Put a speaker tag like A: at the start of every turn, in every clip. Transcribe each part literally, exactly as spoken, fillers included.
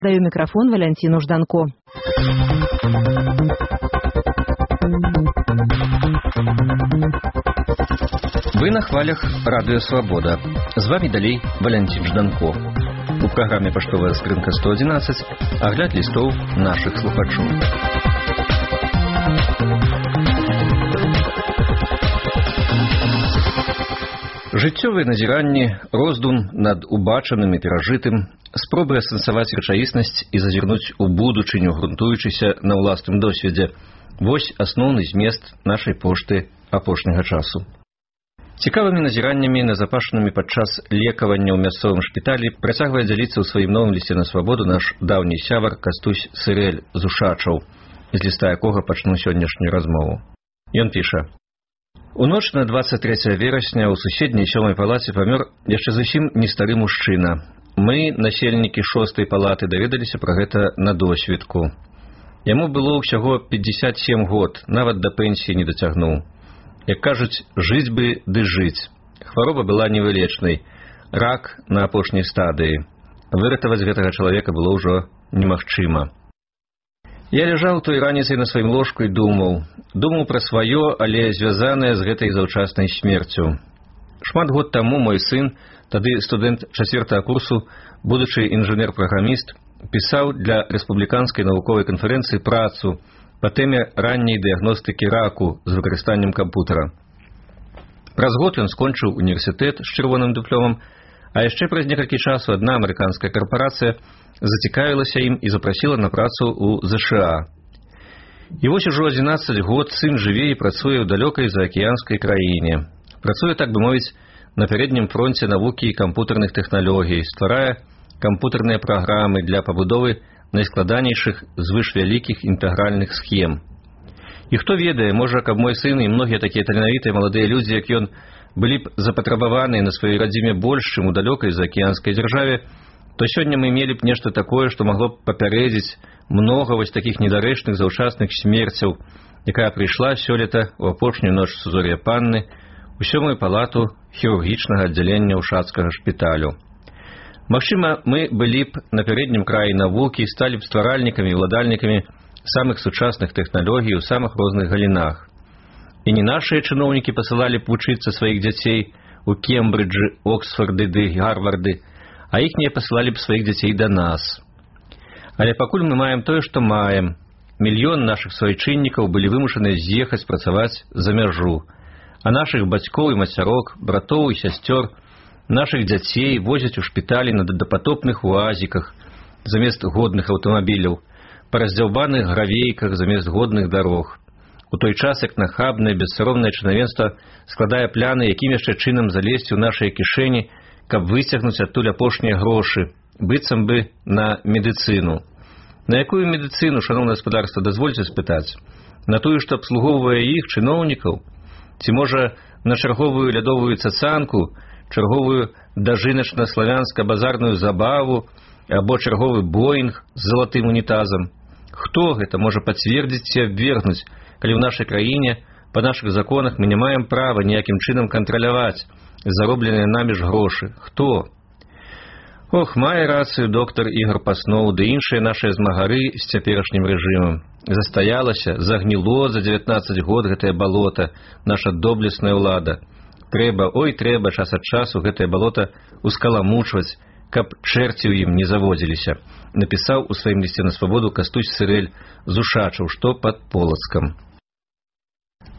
A: Даю микрофон Валентину Жданко.
B: Вы на хвалях Радио Свобода. З вами далей Валентин Жданко. У праграме «Паштовая скрынка сто одиннадцать» агляд лістоў нашых слухачоў. Жыццёвыя назіранні, роздум над убачаным і перажытым, спробы асэнсаваць рэчаіснасць і зазірнуць у будучыню, грунтуючыся на ўласным досведзе. Вось асноўны змест нашай пошты апошняга часу. Цікавымі назіраннямі, назапашанымі падчас лекавання ў мясцовым шпіталі, працягвае дзяліцца ў сваім новым лісце на свабоду наш даўні сябар Кастусь Сырэль з Ушачаў, з ліста якога пачну сённяшнюю размову. Ён піша: «У ноч на дваццаць трэцяе верасня ў суседняй сёмай палаце памёр яшчэ зусім не стары мужчына. Мы, насельнікі шостай палаты, даведаліся пра гэта на досведку. Яму было ўсяго пятьдесят семь год, нават да пенсіі не дацягнуў. Як кажуць, жыць бы ды жыць. Хвароба была невылечнай. Рак на апошняй стадыі. Выратаваць гэтага чалавека было ўжо немагчыма. Я ляжаў той раніцай на сваім ложку і думаў. Думаў пра сваё, але звязанае з гэтай заўчаснай смерцю. Шмат год таму мой сын, тады студэнт чацвёртага курсу, будучы інжынер-праграміст, пісаў для рэспубліканскай навуковай канферэнцыі працу па тэме ранняй дыягностыкі раку з выкарыстаннем кампутара. Праз год ён скончыў універсітэт з чырвоным дыпломам, а яшчэ праз некалькі часу адна амерыканская карпарацыя зацікавілася ім і запрасіла на працу ў ЗША. І вось ужо адзінаццаць год сын жыве і працуе ў далёкай заакіянскай краіне. Працуе, так бы мовіць, на пярэднім фронце навукі і кампутарных тэхналогій, стварае кампутарныя праграмы для пабудовы найскладанейшых звышвялікіх інтэгральных схем. І хто ведае, можа, каб мой сын і многія такія таленавітыя маладыя людзі, як ён, былі б запатрабаваныя на сваёй радзіме больш, чым у далёкай заакіянскай дзяржаве, то сёння мы мелі б нешта такое, што магло б папярэдзіць многа вось такіх недарэчных заўчасных смерцяў, якая прыйшла сёлета ў апошнюю ноч Сузор'я Панны у сёмую палату хірургічнага аддзялення Ушацкага шпіталю. Магчыма, мы былі б на пярэднім краі навукі, сталі б стваральнікамі і ўладальнікамі самых сучасных тэхналогій у самых розных галінах. І не нашыя чыноўнікі пасылалі б вучыцца сваіх дзяцей у Кембриджы, Оксфорды ды Гарварды, а іхнія пасылалі б сваіх дзяцей да нас. Але пакуль мы маем тое, што маем. Мільён нашых суайчыннікаў былі вымушаны з'ехаць працаваць за мяжу, а нашых бацькоў і мацярок, братоў і сясцёр, нашых дзяцей возяць у шпіталі на дапатопных уазіках замест годных аўтамабіляў, па раздзяўбаных гравейках замест годных дарог. У той час, як нахабнае, бессаромнае чынавенства складае пляны, якім яшчэ чынам залезці ў нашыя кішэні, каб выцягнуць адтуль апошнія грошы, быццам бы на медыцыну. На якую медыцыну, шаноўнае гаспадарства, дазвольце спытаць? На тую, што абслугоўвае іх, чыноўнікаў? Ці, можа, на чарговую лядовую цацанку, чарговую дажыначна-славянска-базарную забаву або чарговы боінг з залатым унітазам? Хто гэта можа пацвердзіць ці абвергнуць, калі ў нашай краіне па нашых законах мы не маем права ніякім чынам кантраляваць заробленыя намі ж грошы? Хто? Ох, мае рацыю доктар Ігор Пасноў ды іншыя нашыя змагары з цяперашнім рэжымам. Застаялася, загніло за дзевятнаццаць год гэтае балота, наша доблесная ўлада. Трэба, ой, трэба час ад часу гэтае балота ускаламучваць, каб чэрці ў ім не заводзіліся, напісаў у сваім лісце на свабоду Кастусь Сырэль з Ушачаў, што пад Полацкам.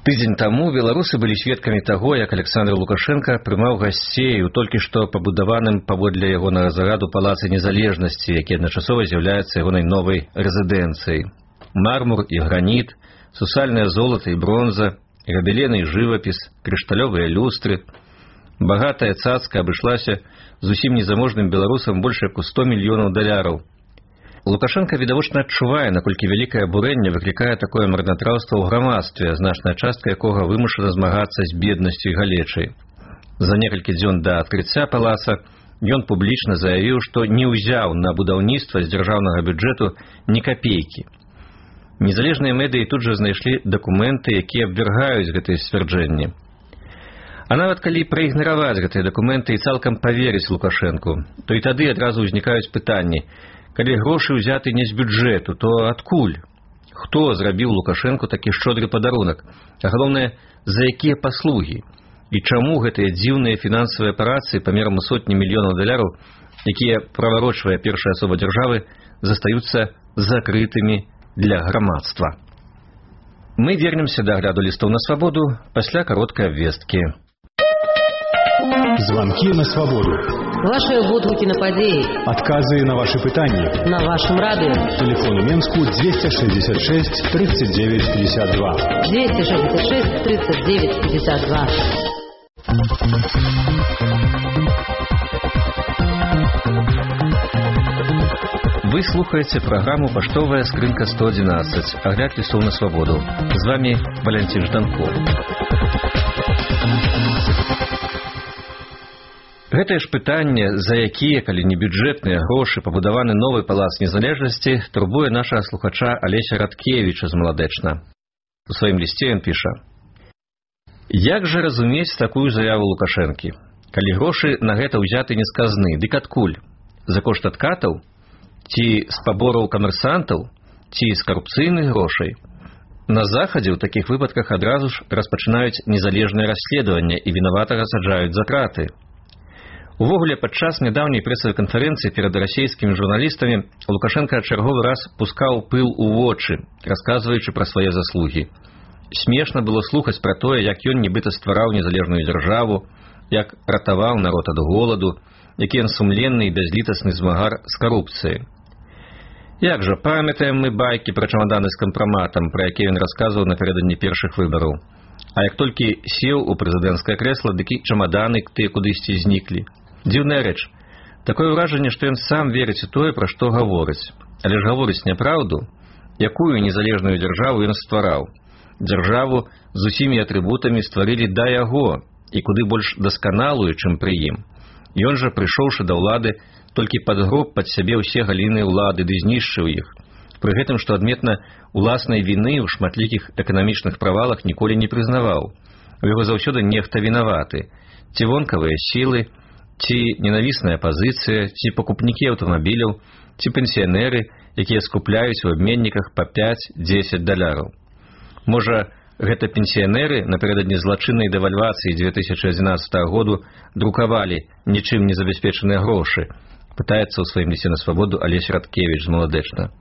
B: Тыдзень таму беларусы былі сведкамі таго, як Александр Лукашенко прымаў гасцей у толькі што пабудаваным паводле ягонага зараду палацы незалежнасці, які адначасова з'яўляецца ягонай новай рэзідэнцыяй. Мармур і граніт, сусальнае золата і бронза, габелены і жывапіс, крышталёвыя люстры. Багатая цацка абышлася зусім незаможным беларусам больш як у сто мільёнаў даляраў. Лукашенко відавочна адчувае, наколькі вялікае абурэнне выклікае такое марнатраўства ў грамадстве, значная частка якога вымушана змагацца з беднасцю і галечай. За некалькі дзён да адкрыцця палаца ён публічна заявіў, што не ўзяў на будаўніцтва з дзяржаўнага бюджэту ні капейкі. Незалежныя медыі тут жа знайшлі дакументы, якія абвяргаюць гэтыя сцвярджэнні. А нават калі праігнараваць гэтыя дакументы і цалкам паверыць Лукашэнку, то і тады адразу ўзнікаюць пытанні, Калі грошы ўзяты не з бюджэту, то адкуль? Хто зрабіў Лукашэнку такі шчодры падарунак? А галоўнае, за якія паслугі? І чаму гэтыя дзіўныя фінансавыя аперацыі памерам у сотні мільёнаў даляраў, якія праварочвае першая асоба дзяржавы, застаюцца закрытымі для грамадства? Мы вернемся да агляду лістоў на свабоду пасля кароткай абвесткі.
C: Звонки на свободу.
A: Ваши водгуки на подеи.
C: Отказы на ваши пытания.
A: На вашем радио.
C: Телефон у Менску двести шестьдесят шесть тридцать девять пятьдесят два.
A: двести шестьдесят шесть тридцать девять пятьдесят два.
B: Вы слухаете программу «Поштовая скрынка сто одиннадцать». Огляд листов на свободу. С вами Валентин Жданков. Гэтае ж пытанне, за якія, калі не бюджэтныя грошы, пабудаваны новы палац незалежнасці, турбуе нашага слухача Алеся Радкевіча з Маладэчна. У сваім лісце ён піша: «Як жа разумець такую заяву Лукашэнкі? Калі грошы на гэта ўзяты не з казны, дык адкуль? За кошт адкатаў? Ці з пабораў камерсантаў? Ці з карупцыйных грошай? На Захадзе ў такіх выпадках адразу ж распачынаюць незалежнае расследаванне і вінаватага саджаюць за краты. Увогуле, падчас нядаўняй прэсавай канферэнцыі перад расійскімі журналістамі Лукашенко чарговы раз пускаў пыл у вочы, расказваючы пра свае заслугі. Смешна было слухаць пра тое, як ён нібыта ствараў незалежную дзяржаву, як ратаваў народ ад голаду, які ён сумленны і бязлітасны змагар з карупцыяй. Як жа, памятаем мы байкі пра чамаданы з кампраматам, пра якія ён расказваў напярэдадні першых выбараў. А як толькі сеў у прэзідэнцкае крэсла, дык і чамаданы тыя кудысьці зніклі. Дзіўная рэч. Такое ўражанне, што ён сам верыць у тое, пра што гаворыць. Але ж гаворыць няпраўду. Якую незалежную дзяржаву ён ствараў? Дзяржаву з усімі атрыбутамі стварылі да яго, і куды больш дасканалую, чым пры ім. Ён жа, прыйшоўшы да ўлады, толькі падгроб пад сябе ўсе галіны ўлады ды знішчыў іх. Пры гэтым, што адметна, уласнай віны ў шматлікіх эканамічных правалах ніколі не прызнаваў. У яго заўсёды нехта вінаваты. Ці вонкавыя сілы, ці ненавісная пазіцыя, ці пакупнікі аўтамабіляў, ці пенсіянеры, якія скупляюць у абменніках па пяць-дзесяць даляраў. Можа, гэта пенсіянеры напярэдадні злачыннай дэвальвацыі дзве тысячы адзінаццатага году друкавалі нічым не забяспечаныя грошы, пытаецца ў сваім лісце на свабоду Алеся Радкевіч з Маладэчна.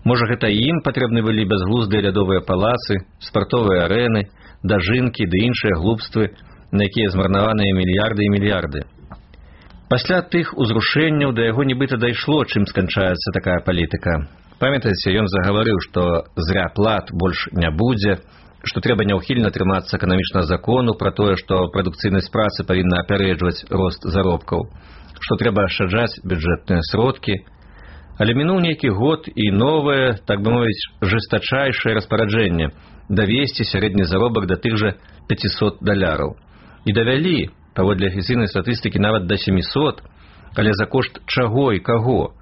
B: Можа, гэта і ім патрэбны былі бязглуздыя лядовыя палацы, спартовыя арэны, дажынкі ды іншыя глупствы, на якія змарнаваныя мільярды і мільярды. Пасля тых узрушэнняў да яго нібыта дайшло, чым сканчаецца такая палітыка. Памятаеце, ён загаварыў, што зря плат больш не будзе, што трэба няўхільна трымацца эканамічнага закону пра тое, што прадукцыйнасць працы павінна апярэджваць рост заробкаў, што трэба ашчаджаць бюджэтныя сродкі. Але мінуў нейкі год і новае, так бы мовіць, жэстачайшае распараджэнне давесці сярэдні заробак да тых жа пяцісот даляраў. І давялі, паводле афіцыйнай статыстыкі, нават да сямісот, але за кошт чаго і каго?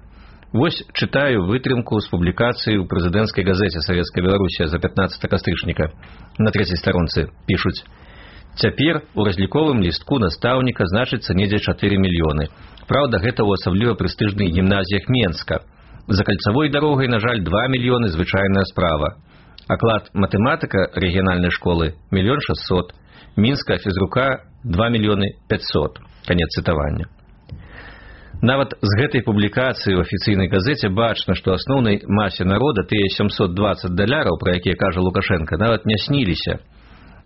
B: Вось чытаю вытрымку з публікацыі ў прэзідэнцкай газеце Савецкая Беларусія за пятнаццатага кастрычніка. На трэцяй старонцы пішуць: цяпер у разліковым лістку настаўніка значыцца недзе чатыры мільёны. Праўда, гэта ў асабліва прэстыжных гімназіях Менска. За кальцавой дарогай, на жаль, два мільёны звычайная справа. Аклад матэматыка рэгіянальнай школы мільён шэсцьсот. Мінская фізрука два мільёны пяцьсот. Канец цытавання. Нават з гэтай публікацыі ў афіцыйнай газеце бачна, што асноўнай масе народа тыя сямсот дваццаць даляраў, пра якія кажа Лукашенко, нават не сніліся.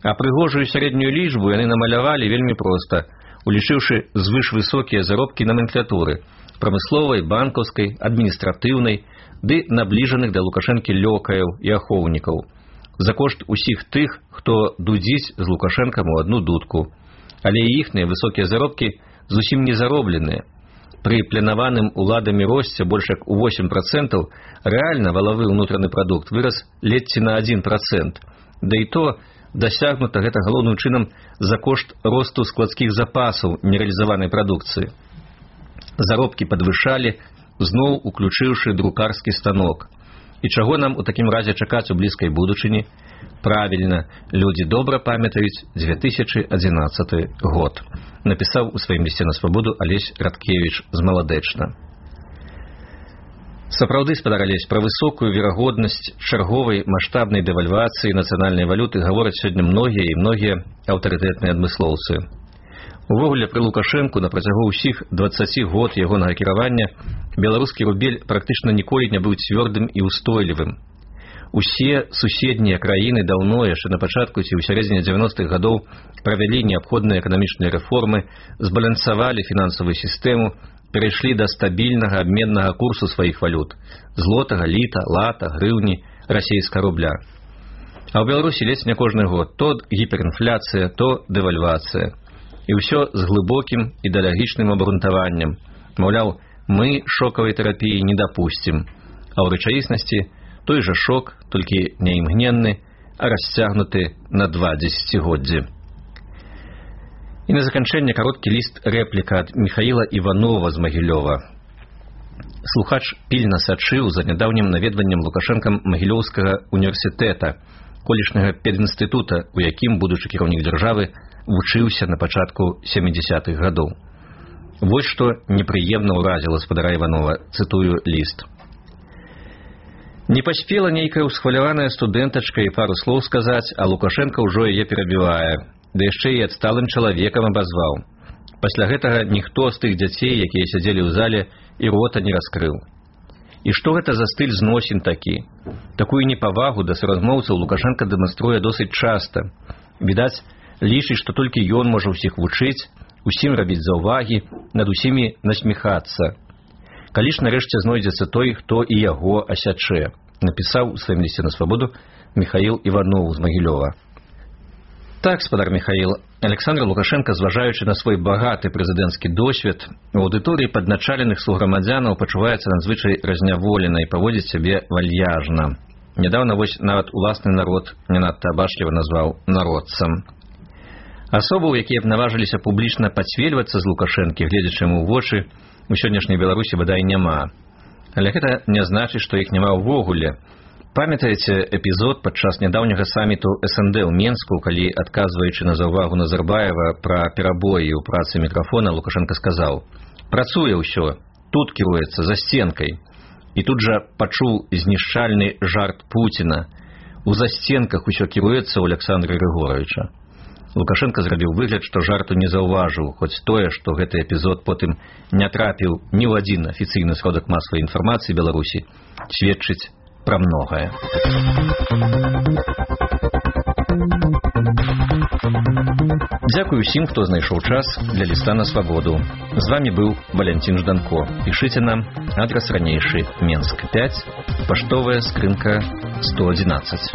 B: А прыгожую сярэднюю лічбу яны намалявалі вельмі проста, улічыўшы звышвысокія заробкі номенклатуры – прамысловай, банкаўскай, адміністратыўнай, ды набліжаных да Лукашэнкі лёкаяў і ахоўнікаў. За кошт усіх тых, хто дудзіць з Лукашэнкам у адну дудку. Але і іхныя высокія заробкі зусім не заробленыя. Пры планаваным уладамі росце больш як у восем працэнтаў рэальна валавы ўнутраны прадукт вырас ледзьці на адзін працэнт. Да і то дасягнута гэта галоўным чынам за кошт росту складскіх запасаў нерэалізаванай прадукцыі. Заробкі падвышалі, зноў уключыўшы друкарскі станок. І чаго нам у такім разе чакаць у блізкай будучыні? Правільна, людзі добра памятаюць дзве тысячы адзінаццаты год. Напісаў у сваім лісце на свабоду Алесь Радкевіч з Маладэчна. Сапраўды спадарались пра высокую верагоднасць чарговай маштабнай дэвальвацыі нацыянальнай валюты гавораць сёння многія і многія аўтарытэтныя адмыслоўцы. Увогуле, пры Лукашэнку на працягу ўсіх дваццаці год ягонага кіравання беларускі рубель практычна ніколі не быў цвёрдым і ўстойлівым. Усе суседнія краіны даўно, яшчэ на пачатку ці ў сярэдзіне дзевяностых гадоў, правялі неабходныя эканамічныя рэформы, збалансавалі фінансавую сістэму, перайшлі да стабільнага абменнага курсу сваіх валют – злотага, літа, лата, грыўні, расейскага рубля. А ў Беларусі ледзь не кожны год то гіперінфляцыя, то дэвальвацыя. І ўсё з глыбокім ідэалагічным абгрунтаваннем. Маўляў, мы шокавай тэрапіі не дапусцім. А ў рэчаіснасці той жа шок, толькі не імгненны, а расцягнуты на два дзесяцігоддзі. І на заканчэнне кароткі ліст рэпліка ад Міхаіла Іванова з Магілёва. Слухач пільна сачыў за нядаўнім наведваннем Лукашэнкам Магілёўскага універсітэта, колішняга педінстытута, у якім будучы кіраўнік дзяржавы вучыўся на пачатку сямідзясятых гадоў. Вось што непрыемна ўразіла спадара Іванова, цытую ліст. Не паспела нейкая ўсхваляваная студэнтачка і пару слоў сказаць, а Лукашэнка ўжо яе перабівае. Да яшчэ і адсталым чалавекам абазваў. Пасля гэтага ніхто з тых дзяцей, якія сядзелі ў зале, і рота не раскрыў. І што гэта за стыль зносін такі? Такую непавагу да суразмоўцаў Лукашэнка дэманструе досыць часта. Відаць, лічыць, што толькі ён можа ўсіх вучыць, усім рабіць заўвагі, над усімі насміхацца. Калі ж нарэшце знойдзецца той, хто і яго асячэ, напісаў у сваім лісце на свабоду Міхаіл Іванов з Магілёва. Так, спадар Міхаіл, Александр Лукашенко, зважаючы на свой багаты прэзідэнцкі досвед, у аўдыторыі падначаленых суграмадзянаў пачуваецца надзвычай разняволена і паводзіць сябе вальяжна. Нядаўна вось нават уласны народ не надта абачліва назваў народцам. Асобаў, якія б наважыліся публічна пацвельвацца з Лукашэнкі, гледзячы яму ў вочы, у сённяшняй Беларусі бадай няма. Але гэта не значыць, што іх няма ўвогуле. Памятаеце эпізод падчас нядаўняга саміту эс эн дэ ў Менску, калі, адказваючы на заўвагу Назарбаева пра перабоі ў працы мікрафона, Лукашенко сказаў: «Працуе ўсё, тут кіруецца, за сценкай». І тут жа пачуў знішчальны жарт Пуціна: «У засценках усё кіруецца ў Александра Григоровича». Лукашенко зрабіў выгляд, што жарту не заўважыў, хоць тое, што гэты эпізод потым не трапіў ні ў адзін афіцыйны сродак масавай інфармацыі Беларусі, сведчыць пра многае. Дзякую ўсім, хто знайшоў час для ліста на свабоду. З вамі быў Валянцін Жданко. Пішыце нам, адрас ранейшы, Менск пяць, паштовая скрынка сто адзінаццаць.